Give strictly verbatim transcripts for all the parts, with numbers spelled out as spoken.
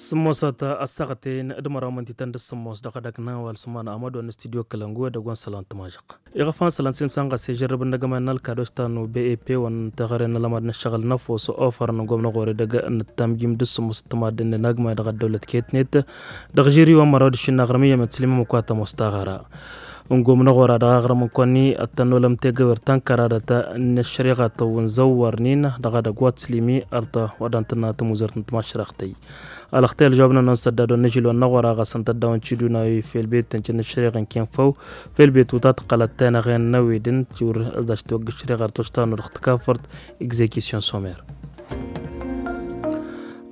Sǝmmosăt ăssaɣăten d-măraw mǝntităn d-sǝmmos dăɣ-edăgg n-awal sumana amădon n-studyo kălăngu edăgg wa n-sălan tǝmažăɣ. Iɣăfan sălan s-imsanɣas ejărrăb n-agămay n-alkad oštanu b e p wa n-teɣăre n-alămad n-ăššăɣǝl n-ăfos ofărăn n-gomnăɣor edăgg n-ǝttamjim d-sǝmmos ǝttămad n-agmay dăɣ-ăddăwlăt ketnet. Dăɣ-žiri wa n-măraw d-išǝnnaɣrăm iyyăm ătslǝmăm ăkwatăm ostăɣăra n-gomnăɣor a dăɣ-aɣrăm n-kăwăn-ni ăttănnolăm tegăwer tănkăradăt n-ăššăriɣa tăwwǝnzăwwărnin dăɣ-edăgg wa t-slǝmi ărtăwădăn tǝnna tămuzărt n-tămašraɣtăy. Alăxtăy ălžăwab n-ănnon săddadon n-ažilon n-aɣora ɣas ǝnta dd-awăn ciduna wi fel bet tǝncǝn ăššăriɣa n-kenfăw fel bet uta tǝqqălăt tenăɣen n-ewed n-tiwǝr ăzzaš tiwăgg ăššăriɣa ar toštanu dăɣ-tǝkafărt exekisyon somer.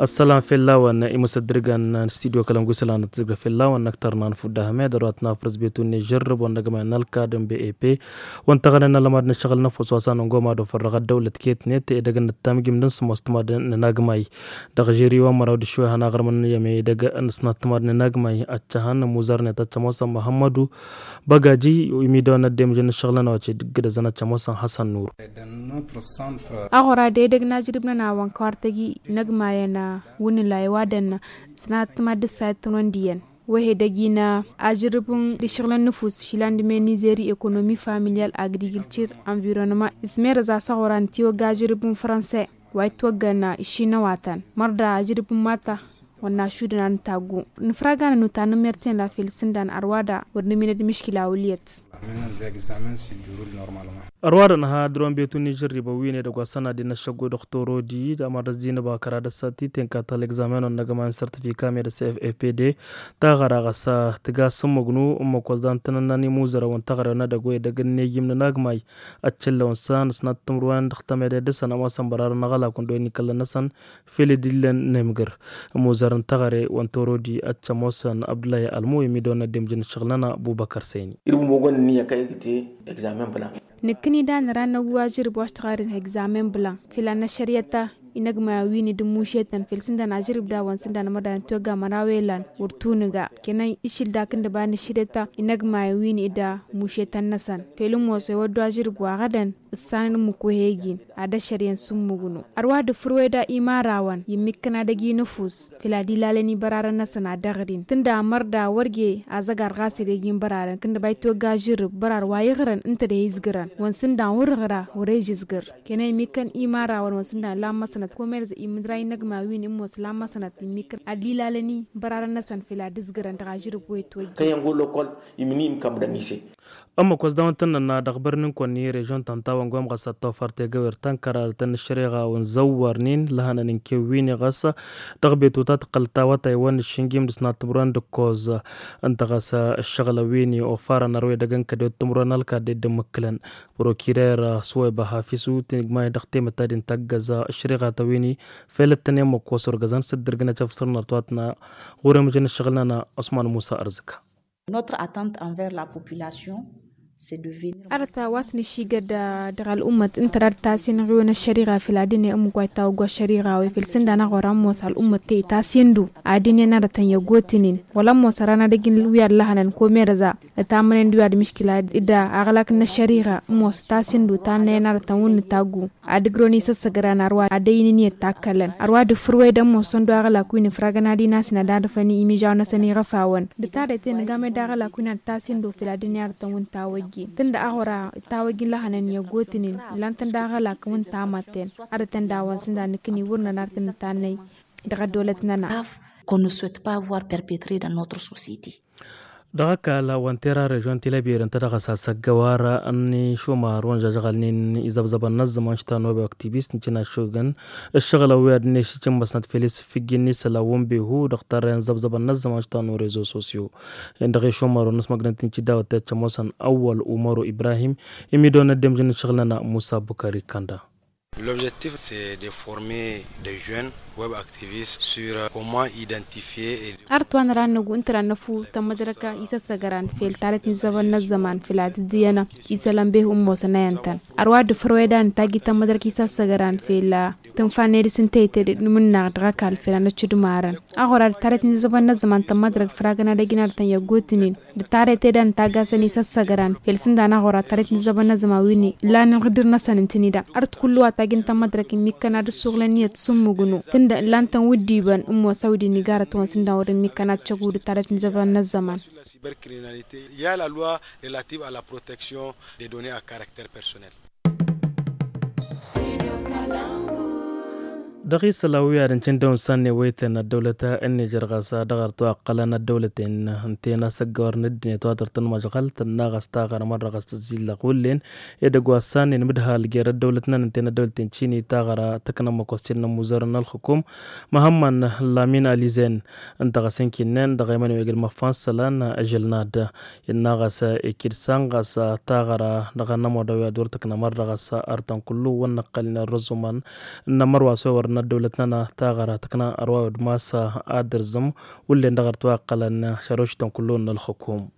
Ăssălan fell-awăn imǝsăddǝrgăn n-studyo kălăngu isălan ăttǝzǝgră fell-awăn năktărna n-fudda hămed ărwa tǝnafrǝz betun n-ežărrăb wăn n-agmay n-alkad n-b e p wăn tăɣănen n-alămad n-ăššăɣǝl n-ăfos wa s-anăngoma d-ofăr dăɣ-ăddăwlăt ketnet edăgg n-ǝttamjim d-ǝnsǝmos tǝmad n-agmay. Dăɣ-žiri wa n-măraw d-iššuwe hanăɣrǝmăn i-ămedăgg n-ǝsnat tǝmad n-agmay ăccăhăn ămuzărnet ăccămosăn măhămmădu băgaji imidăwăn ăddemžăn n-ǝššăɣǝl-nănăɣ wa ced ǝggǝdăzăn ăccămosăn hasăn nur. Aɣora d-edăgg n-ajrǝb-nănăɣ wa n-kăwartăgi n-agmayăn wǝnnǝlay wa dănnă ǝsnat tǝmad d-ǝssayăt tăn-wăn d-iyyăn. Wăhe dăgg-i n-ajrǝb n-dd-iššăɣǝlăn n-nǝfus išilan d-imen n-izeri ekonomi familial agrikiltir anvironnăma ismerăz a-s aɣora n-tiwăgg ajrǝb n-franse wa itwăggăn išinăwatăn mărda ajrǝb n-mata wănna ašudăn ad-nǝtaggu. Nǝfraganăn utanǝmmer tenla fel sǝndan ărwa da wăr nǝminăd miškila wǝliyăt. Ărwa da nǝha dăr-wăn betu n-ižărribăn wi n-edăgg wa s-ănadin n-ăššăggo dăɣ-torodi d-amăr d-ăzzinăba kăra d-ăssati tenka ta l-egzamen-on n-agăman n-sărtifikam i-dăɣ s f f p d. Taɣăra ɣas tǝga s-ǝmmǝgnu ǝmmǝk wa s-dan tăn-ănnan imuzărăn wa n-taɣăre wa n-edăgg wa edăgg n-nejim n-anagmay. Ăccăllăwăn s-a n-ǝsnat timǝrwen dăɣ-tămede dăr-săn a-wa s-ănbărarăn aɣălak wa n-dăɣ-wi n-ikăllăn-năsăn fel dd-illăn nemgăr. Ămuzărăn taɣăre wa n-torodi ăccămosăn abdullah i-almu i-midăwăn ăddemjăn ǝššăɣǝl-nănăɣ bubăkăr săyni. Irbu mogon n-iyyăk a igǝte egzamen blan. Nǝkkǝni da nǝra n-năggu ajrǝb wa s-tăɣaret n-egzamen blan fila n-ăššăriyyăt ta inăgmayen wi n-dd-mušetăn fel sǝndan ajrǝb da wa n-sǝndan măra da n-tiwăgga măraw i-lan wăr tunǝga. Kănăn išil dak n-dăba n-ăššăriyyăt ta inăgmayen wi n-dd-mušetăn-năsăn fel ǝmmos ewăddu ajrǝb wa ɣădăn ǝssanăn ǝmmǝk wa he-gin ad-ăššăr i-ănsǝmmǝgnu. Ărwa dd-fǝrweda imarawăn i-ǝmmikkăn ad-ăj inǝfus făl ad-ilalăn ibărarăn-năsăn ad-ăɣrin tǝnda mărda wăr je azăgar ɣas ed ej inbărarăn kǝndăba itwăgga žărǝb bărar wa iɣrăn ǝnta d-e-izgǝrăn wănsǝndan wăr-ǝɣra wăr-ej ǝzgǝr. Kănăn ǝmmikkăn imarawăn wănsǝndan lamma sănăt komerz imǝdra inăgma wi n-ǝmmos lamma sănăt ǝmmikkăn ad-ilalăn ibărarăn-năsăn făl ad-ǝzgǝrăn dăɣ-ažărǝb wa itwăjja. Kăyăn go lokol imǝnǝy imkam dănise. Ămmăk wa s-dawăn tăn-nănna dăɣ-bărni n-kăwăn-ni režion ta n-tawăn gom ɣas ad-tofăr tegăwer ta n-kăradăt n-ăššăreɣa wa n-zăwwărnen lăhănăn n-kewwin i-ɣas dăɣ-betut a tǝqqăl tawătay wa n-ǝššǝnjim d-ǝsnat timǝrwen d-ǝkkoẓ. Ǝnta ɣas ǝššăɣǝlăn wi n-ofarăn ărwedăgg n-kădewăt timǝrwen ălkad ed d-ǝmmǝkkǝlăn. Prokirăr suwăyba hafisu tǝnǝgmayăt dăɣ-temăttadin tăggăẓ ăššăreɣa ta wi n-i fel ǝttănen măkkosorgăzăn s-dd-ǝrgǝnăt efsărnăr tawătna. Ɣur-emǝjăn ǝššăɣǝl-nănăɣ osman musa ărzǝka. Notre attente envers la population, c'est de venir. Arăt wa s-nǝššigăd dăɣ-al'ummăt ǝnta da d-tasen ɣiwăn ăššăriɣa făl ad-ǝnne ǝmmǝk wa itawăggu ăššăriɣa wa ifăl sǝndan aɣora ămoos al'ummăt te itasendu ad-ǝnne n-arătăn i-ăgotǝnen wăla ămoos ărăn ad-ăj wi ad-lăhănăn komerăza. Ǝtamănen d-wi ad-mǝškǝla d-aɣlak n-ăššăriɣa ămoos tasendu tannăyăn arătăn wǝnnǝtaggu. Ad-ǝgrăwăn isăssăgăran ărwa ad-ăynǝn i-ăttakkălăn ărwa dd-fǝrwedăn mosăn d-aɣălak wi n-ifragăn ad-inasǝn ad-adăfăn imižaw-năsăn iɣăfawăn. D-tarete nǝgam ed aɣălak wi n-ad-tasin d-ofel ad-ǝnni arătăn wǝnta wăjjin tǝnda aɣora ǝtta wăjjin lăhănăn i-ăggotǝnen. Ǝllan-tăn d-aɣălak wǝnta amatten arătăn dawăn s-ǝnda nǝkkǝni wăr nănartăn ǝtannăy dăɣ-ăddăwlăt-nănăɣ. Qu'on ne souhaite pas voir perpétrer dans notre société. Dăɣ-ăkall wa n-tera režion tilăbir ǝnta dăɣ-ăsasăgg ăwarăn n-išumar wa n-žăžɣălnen izăbzăbăn n-ăzzăman štanobe aktivist n-cinašugăn ǝššăɣǝlăn wi ad-net išǝmmăsnăt fel isǝffǝjjin n-isălan wa n-behu dăɣ-tarrăyăn zăbzăbăn n-ăzzăman štanu rezo sosyo. Dăɣ-išumar wa n-ăsmăgdăn tinci dawăt tiăccămosăn ăwwăl umăru ibrahim. Imidăwăn ăddemjăn n-ǝššăɣǝl-nănăɣ musa bukări kănda. L'objectif c'est de former des jeunes web activistes sur comment identifier et. Arăt wa năra n-năggu ǝnta da n-năfu tămmădrăk isăssăgăran fel tarăt n-izăbăn n-ăzzăman fel ad-dd-iyyăn isălan behu n-mosăn a iyyăn-tăn. Ărwa dd-fărwedan n-tagi tămmădrăk isăssăgăran fel tǝnfa n-edis n-teyte d-imǝnnaɣ dăɣ-ăkall fel a năccǝdmarăn. Aɣora d-tarăt n-izăbăn n-ăzzăman tămmădrăk făragăn ad-ăjnarătăn i-ăggotǝnen d-tarăt ed a n-taggasăn isăssăgăran fel s-ǝndan aɣora tarăt n-izăbăn n-ăzzăman wi n-illan n-iɣdǝr-năsăn ǝntǝnida. Ărăt kullu wa tajǝn tămmădrăk ǝmmikkăn ad-ǝssuɣǝlăn iyyăt s-ǝmmǝgnu. Ǝllan-tăn wǝddiibăn ǝmmoosăw d-inigarăt-wăn s-ǝndan wăr-ǝmmikăn ad-căgudǝt ad-ătnǝzăbăn n-ăzzăman. Cybercriminalité, il y a la loi relative à la protection des données à caractère personnel. Dăɣ-isălan wi ad-ǝncǝn dăw-nǝssan n-ewăyten ăddăwlăt n-nižer ɣas dăɣ-arăt wa ǝqqălăn ăddăwlăten ǝnta i-nasăggăwărăn ăddinăt wa dăr-tăn măžɣăl tănna ɣas taɣăra mărra ɣas tǝzzillăɣ wullen. Edăgg wa s-sannen mǝdhal jer-ăddăwlăt-năn ǝnta i-năddăwlăten cini taɣăra tăknămmăk wa s-cǝnnăn muzărăn n-ălxukum măhămmăn lamin alizen. Ǝnta ɣas ǝnkinnen dăɣ-emăn wi ăgg-ălmăffa n-isălan ažălnad. Innă ɣas ikǝd san ɣas taɣăra dăɣ-anămudăw i-ad-wăr tǝknăm ărrăɣăs artăn kullu wăr năqqălin ărrăzumăn. Ǝnnăm ărwa s-wăr n-ăddăwlăt-nănăɣ taɣăra tǝkna ărwa wăr d-masa ad-dărzǝm wullen dăɣ-ărtwa ăqqălăn šărăwšităn kullu n-ălxukum.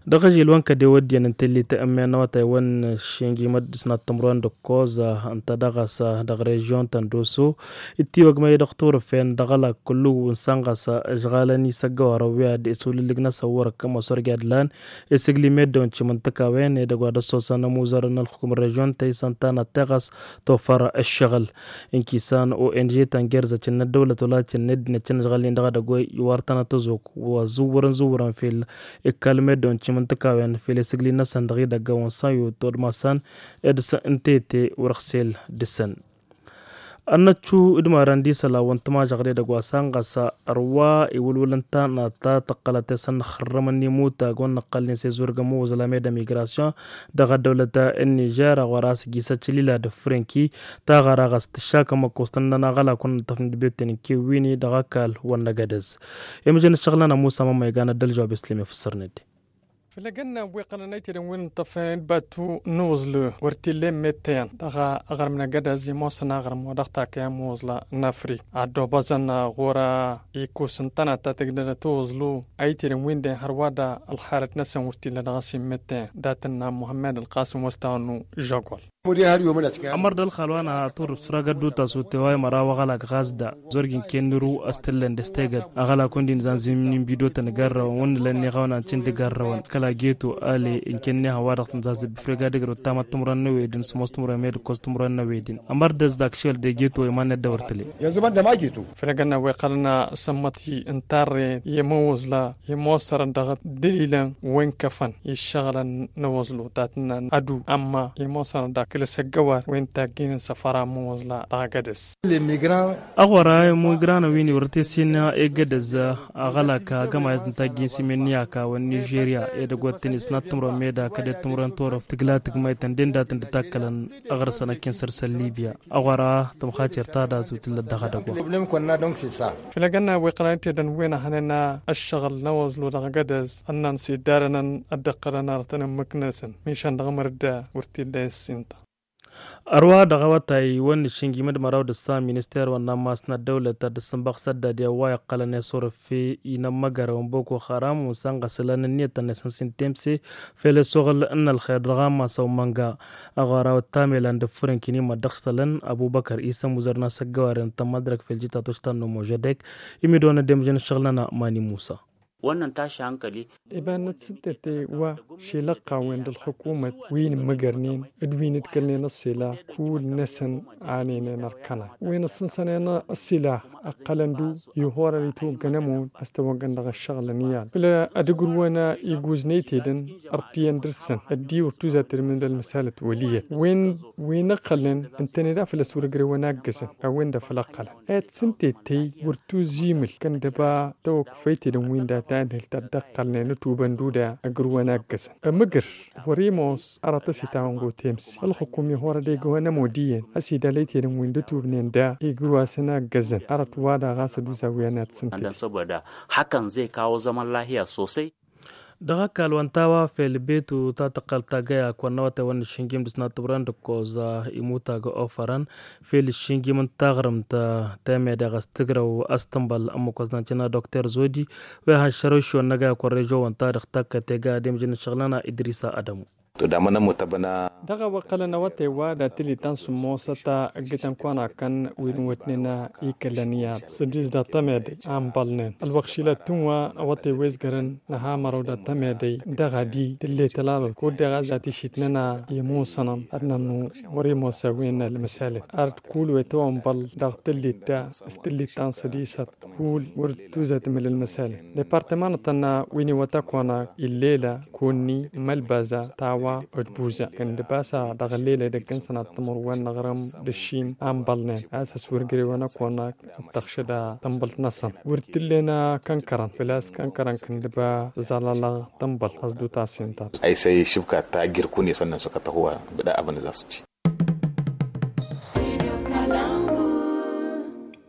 Dăɣ-ažil-wăn kăd-ewăddiyăn n-telli ta ǝmmen n-awătay wăn šingimăt dăɣ-s n-ad-tǝmrăwăn d-ǝkkoẓ ǝnta dăɣ-s dăɣ-režion ta n-doso. Dd-tiwăgmăy dăɣ-turǝfen dăɣ-ălak kullu n-sănɣăs ǝžɣalăn isăggăwarăn wi ad-esulǝllǝg-năsăn wăr-ăkkăm osărge ad-lan esǝgli meddǝwăn cimǝntǝkawen edăgg wa dăɣ-s osăn ămuzărăn n-ălxukum n-režion ta isăn tanăt teɣăs tofăr ǝššăɣǝl. Ǝnkisan o n g ta n-gerzăcin n-ăddăwlăt wăla cin n-ăddinăt cin ǝžɣăl-in dăɣ-edăgg wa iwar tanăt tăzok wa zǝwwărăn zǝwwărăn fel ikal meddǝwăn cimǝntǝkawen fel esǝgli-năsăn dăɣ-idăgg wa n-săn yutod masan ed s-ǝntete wăr-ăɣsel dăɣ-săn. Ănnăccu d-imaran d-isălan wa n-tămažăɣ d-edăgg wa s-anɣăs ărwa iwǝlwǝl ǝnta n-ad-ta tăqqălăt i-săn n-ixărrămăn n-imutag wa n-năqqălnen s-ezurgăn măwwăẓla meda migration dăɣ-ăddăwlăt n-nižer ăɣora s-gisăt šălila d-franki taɣăra ɣas tǝššakăm ăkkoẓ tăn-nănăɣ ălakun n-tăfnǝd beten n-kewwini dăɣ-ăkall wa n-năgădăz. Imǝjăn ǝššăɣǝl-nănăɣ musa mămmăygan ad-dălžăwab islim ifǝssărned. Făll-egănna wi qălăn ăytedăn wi n-tăfnăd batu n-uẓlǝ wăr t-ille mettăyăn dăɣ-aɣrǝm n-agădăz imosăn aɣrǝm wa dăɣ-takăyăn muẓla n-afrik ad-dd-obăẓăn ɣur-ikus n-tănat ta tǝgdădăt uẓlu ăytedăn wi n-dăyăn hărwa da ălxalăt-năsăn wăr t-illa dăɣ-s immettăyăn dat-ǝnna muhămmed ălqasǝm wăstawăn n-žăgol. Ămăr d-ălxal wa n-atur s-ragăt d-utas utewa i-măraw aɣălak ɣas da zor-gi n-kennăru a-s t-ǝllăn dăɣ-s tegăt aɣălak wǝndi n-zanzim n-inbidotăn garrăwăn wǝnnǝlăn n-iɣawnan cǝnd garrăwăn kăla geto ale n-kennehăn wa dăɣ-tǝnzazăb ifrega d-ǝgrăw tamăt timǝrăn n-ewedin s-ămoos timǝrăn med ǝkkoẓ timǝrăn n-ewedin ămăr d-ăzdak šel de geto iman n-ăddăwăr tǝle. Făll-egănna wa iqqălăn asămmăt i-ǝntarre i-imǝwwăẓla i-ămoosărăn dăɣ-dălilăn wa inkăfăn i-ǝššăɣǝlăn n-awăẓlu ta tǝnnan ădu ămma i-ămoosărăn dăɣ-kăl-asăggăwar wa intajjǝynen săfăra n-imǝwwăẓla dăɣ-agădăz. Ăɣora imigranăn wi n-iwrăt i-sin egădăz aɣălak agămayăt n-tajjǝy n-simen n-iyaka wa n-nižerya edăgg wa t-tăn-isnat timrăwăn meda kăd-e timrăwăn torăft tǝgla tǝgmaytăn d-e n-dat-tăn dd-takkălăn aɣrǝsăn ăkkin săr-săn libya. Ăɣora tǝmxacer ta dat-u tǝllăt dăɣ-edăgg wa. Făll-egănna wi qălăn tedăn wen ăhănen ăššăɣǝl n-awăẓlu dăɣ-agădăz ănnăn s-iddarănăn ad-dd-ăqqălăn arătăn ǝmmǝk-năsăn mišan dăɣ-mărda wăr t-illa i-ǝssinta. Ărwa dăɣ-awătay wăn nǝššǝnjim d-măraw d-ǝssa minister wăn n-ammas n-ăddăwlăt ad-dd-sǝnbăɣ săddad i-a-wa iqqălăn i-asurǝf i-inămmăgărăw n-boko haram wăn săn ɣas ǝlan ǝnniyăt tăn-isăn s-intemse fel ăssoɣǝl n-ălxer dăɣ-ammas ăwmănga. Aɣora wăt-tamelan d-ǝffǝrǝnkin immăt dăɣ-s tălăn ăbubăkăr isăm uzăr n-asăggăwaren tămmădrăk fel jitatoš ta n-nomožădek. Imidăwăn ăddemăžăn ǝššăɣǝl-nănăɣ mani musa. Wănnăn tašankăli. Iba n-ad-sǝntete wa šelăqqa-wen d-ălxukumăt wi n-imǝgărnen d-wi n-ǝdkălnen ăṣṣila kull-năsăn a n-inen ărkăna wi n-ăṣṣǝnsănen ăṣṣila ăqqălăn-du ihorăn itwăggăn ămon a-s tăwăggăn dăɣ-ăššăɣǝlăn iyyăn făll-ad-ǝgrǝwăn iguznen itedăn ărtiyyăn dăr-săn ăddiwăr tuzatăr imǝnda ălmăsalăt wăl' iyyăt wen wi n-ăqqălnen ǝntăne da făll-ăsurǝgrewăn aggăzăn a-wen-dăɣ făll-ăqqălăn ad-sǝntettăy wăr tuzimǝl kăndăba tăwăkfăytedăn wi n-data ǝnhǝl ta dd-ăqqălnen ătubăn d-uda ǝgrǝwăn aggăzăn ămǝgǝr wăr-imoos arăt ăsitawăn gotemse ălxukum ihorăd egăwăn ămod iyyăn ăsidal ăytedăn wi n-dd-ătubnen da igrǝw-asăn aggăzăn arăt wa daɣ a-s ăduzawǝyăn ad-sǝntet. Hakăn zai kawo zămăn lahiya sosai. Dăɣ-ăkall wa n-tawa fel betu ta tǝqqăl tagăyak wa n-awătay wa n-ǝššǝnjim d-ǝsnat timǝrwen d-ǝkkoẓ imutag ofărăn fel ǝššǝnjim n-taɣrǝmt temedeɣ a-s tǝgrăw a-s tǝnbăl ǝmmǝk wa s-năncăna dokter zodi. Wa ihăn šărăw šiwăn n-agăyak wa n-režo wa n-ta dăɣ-takkăt ega ad-imǝjǝn ǝššăɣǝl-nănăɣ idrisa ădămu. Dăɣ-a-wa ǝqqălăn awătay wa dat-tǝllit ta n-sǝmmosăt ǝggǝtăn kăwăn-akăn wi n-wătnen ikălăn i-ad-sădis dăɣ-tămedăy a ǝnbălnen ălwăqq šilăt tǝnwa awătay wa izgărăn n-ahamărăw dat-tămedăy dăɣ-adi tǝllet ălalăt kud-dăɣ a-s dat-išitnen a imusănăn ad-nănnu wăr-imosa wi n-ălmăsalen. Ard kull wa itwănbăl dăɣ-tǝllit ta s-tǝllit ta n-sădisăt kull wăr tuzăt mǝl ălmăsalen departămanătăn wi n-iwăt ăkkonak illela kunni mălbaza tawa d-buza kăndăbasa dăɣ-llela idăgg n-sănat timǝrwen n-aɣrǝm d-ăššin a ǝnbălnen a-s ăswărgărewăn ăkkonak d-tăɣšăd a tǝnbălt-năsăn wăr t-ǝllen kănkărăn făl-a-s kănkărăn kăndăba zălalăɣ tǝnbălt a-s dd-utas inta. Aysăy šǝbka ta jirkune sănnăn sokăt ăhwa bǝda abăn zas-dd.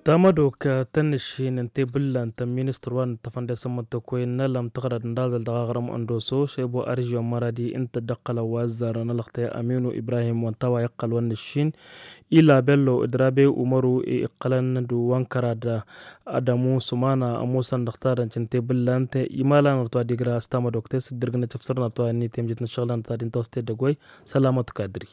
Tamădok tăn-nǝššin n-tebǝllant n-ministăr wa n-ǝttăfăn d-esămmăttăkoy n-alăm tăɣrad n-dazăl dăɣ-aɣrǝm ăndoso šebo aržiyon măradi ǝnta dd-ăqqălăn wa ăzzarăn ălăxtăy aminu ibrahim wa n-tawa iqqăl wa n-nǝššin ila bello d-rabe umăru iqqălăn d-wa n-kărad. Adămu sumana ămoosăn dăɣ-tadănc n-tebǝllant imalanăr-t wa d-igra s-tamădok-te s-dd-irgǝnăt ǝfsărnăt wa n-itemjet n-ăššăɣǝlăn ta d-inta wa s-teddăgoy. Sălamăt kadri.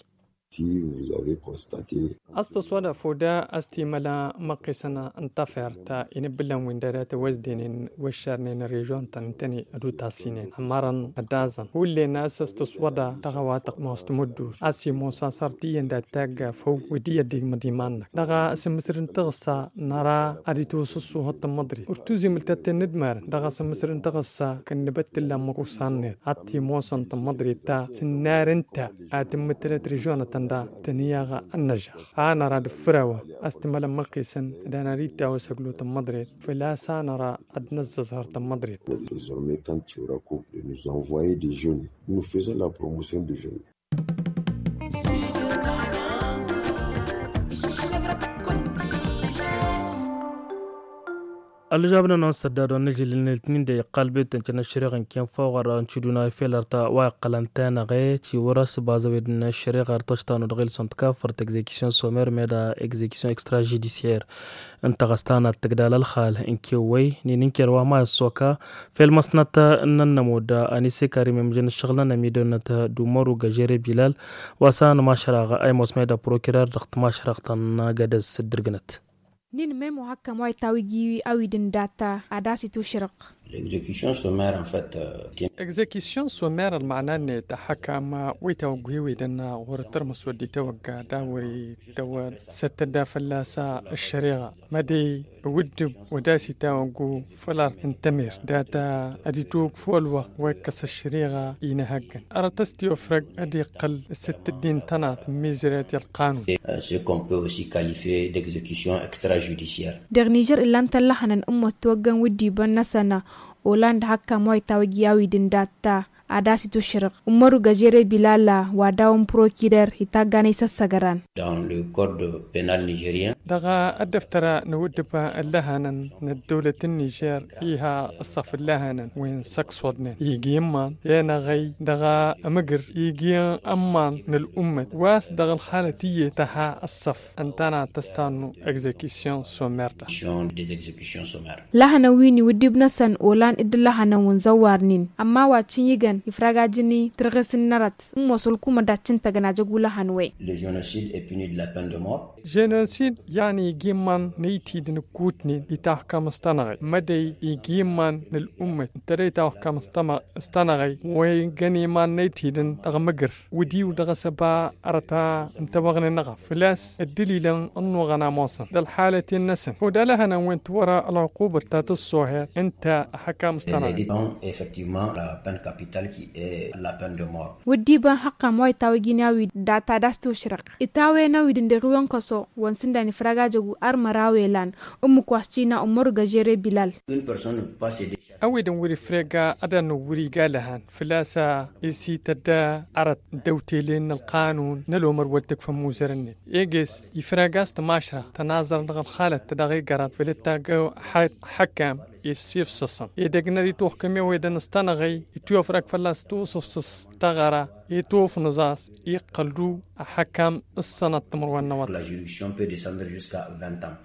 Si vous avez constaté. Ăstăswăda foda ăstimăla măqqisăn n-tafert inǝbbǝlăn wi n-dăr-i a tewăzdenen wăššarnen režion-tăn n-tăn-i d-utasinen hămărăn ădazăn hullen a-s ăstăswăda dăɣ-a-wa tăqmos timǝddur a-s imosa săr tiyyăn dat-tagga făw wi d-iyyăt d-igmăd iman-năk dăɣ-a s-ǝmmǝsrǝn tăɣǝssa năra ad-itwăsǝssuhăḍ tămmăḍrit wăr tuzǝm ǝltătten n-ǝdmarăn dăɣ-a s-ǝmmǝsrǝn tăɣǝssa kănnăbăt tǝllan măkusan-net ad-t-imosăn tămmăḍrit ta s-ǝnnar ǝnta ad-tǝmmǝtălăt režion-tăn da tăn-iyyăɣ ănnăžăɣ a năra d-ǝffǝr-awăn a-s t-imălăn măqqisăn d-anăr-ittawăs ăglu tămmăḍret făl-a-s a năra ad-năzzăẓhăr tămmăḍret. Désormais quand tu racontes de nous envoyer des jeunes nous faisons la promotion de jeunes. Ălžabnăn-on sădda d-wa n-ažil n-eltnin de iqqal betăn cănăššăreɣ n-kinfăɣăr n-cuduna ifelăr ta wa iqqălăn tenăɣe ci wăr-ăsbazăwed n-aššăreɣ ar toštanu dăɣ-ilsăn tkafărt execution somer meda execution extra judiciaire. Ǝnta ɣas tanat tǝgdal ălxal n-kewăy n-inǝnker wa ma ăssoka fel măsnăt n-ănnămud ănisekar imemjăn ǝššăɣǝl n-ănămidăwnăt d-umăru găžere bilal wa s-anămašraɣ a imosmay d-ăprokirar dăɣ-tămašraɣt n-agădăz s-dd-ǝrgǝnăt. N-inmem ohăkkăm wa itawǝj i-awǝj d-ǝndat ad-asǝt ušrăɣ. L'execution sommaire en fait. Execution sommaire ălmăna-net ăhăkkăm wa itawǝj i-awǝj d-ǝnna ɣur-tărmăs wăr dd-itawăgga d-a wăr-itawăd s-ăttădda fălla-s ăššăreɣa mădey ǝwǝddǝb wăr d-asǝt awăggu făll-art n-tămert data ad-itwǝkf wăl-wăɣ wa ikkăs ăššăreɣa inăhăggăn arăt ăstiyofrăg ad-iqqăl s-ǝttǝddin tănat n-mizret i-ălqanun. Ce qu'on peut aussi qualifier d'execution extra judiciaire. Dăɣ-nižer ǝllan-t ăllăhănăn ǝmmăt tiwăggăn wǝddibăn-năsăn. Olan d-hakkam wa itawǝj i-awǝj d-ǝndat ta ad-asǝt ušrăɣ ǝmmăru găžere bilala wa daw-n prokirer itaggan isăssăgăran. Dans le code pénal nigérien. Dăɣ-ăddăftăra n-awǝddǝb ăllăhănăn n-ăddăwlăt n-nižer iha ăṣṣăf ǝllăhănăn wi n-săksoḍnen igi iman enăɣăy dăɣ-amǝgǝr igi ămman n-ăl'ummăt wa s-dăɣ-ălxalăt iyyăt tăha ăṣṣăf ǝnta n-ad-tăstannu execution sommaire da. Des executions sommaires. Lahănăn wi n-iwǝddǝb-năsăn olan dd-ǝllăhănăn wi n-zăwwarnen ămma wa cǝnjǝgăn ifragajăn i-tărɣes n-inărăt n-mos ălkumăt daccǝntăgăn ajăg ulăhăn we. Le génocide est puni de la peine de mort. Jenosid yan igi iman n-ăytidăn ǝkkutnen itawăkkăm s-tanăɣăy mădăy igi iman n-ăl'ummăt ǝntăre itawăkkăm s-tanăɣăy wa iggăn iman n-ăytidăn dăɣ-mǝgǝr wǝdiw dăɣ-asăba arăt a ǝntăwăɣnen ăɣaf făl-a-s ăddălilăn ănnuɣăn a ămoosăn d-ălxalăten-năsăn kud-alăhănăn wen-tiwăra ălɣuqubăt ta tǝssoher ǝnta ăhăkkam s-tanăɣăy. Effectivement la peine capitale qui est la peine de mort. Wăddiba n-haqqam wa itawăjin i-awid data d-astušrăq itawen awid n-dăɣ-iwăn kăso wa n-sǝndan ifragajăgu armăra welan ǝmmǝk wa s-cina ummăru găžere bilal. Une personne ne peut pas se décharger. Awid n-wăr-ifrega ad-annu wăr-iga lăhan făl-a-s isităd arăt dăw-tele n-ălqanun n-ălomăr wăr t-ǝkfăn muzărăn-net eges ifrega a-s tămašra tănaẓăr dăɣ-ălxalăt dăɣ-igărat făll-dd-tagg ăxăkkam issifsăsăn edăgg n-ad-ituxkăm i-awedăn s-tanăɣăy ituyăfrăg fălla-s tuwǝsǝfsǝs taɣăra itufnǝẓ-as iqqăl-du ăxăkkam s-sănăt timǝrwen n-awătay. La juridiction peut descendre jusqu'à vingt ans.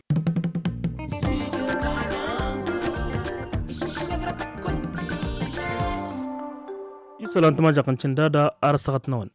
Isălan tămajăɣt n-cǝndada ar ăssaɣăt-năwăn.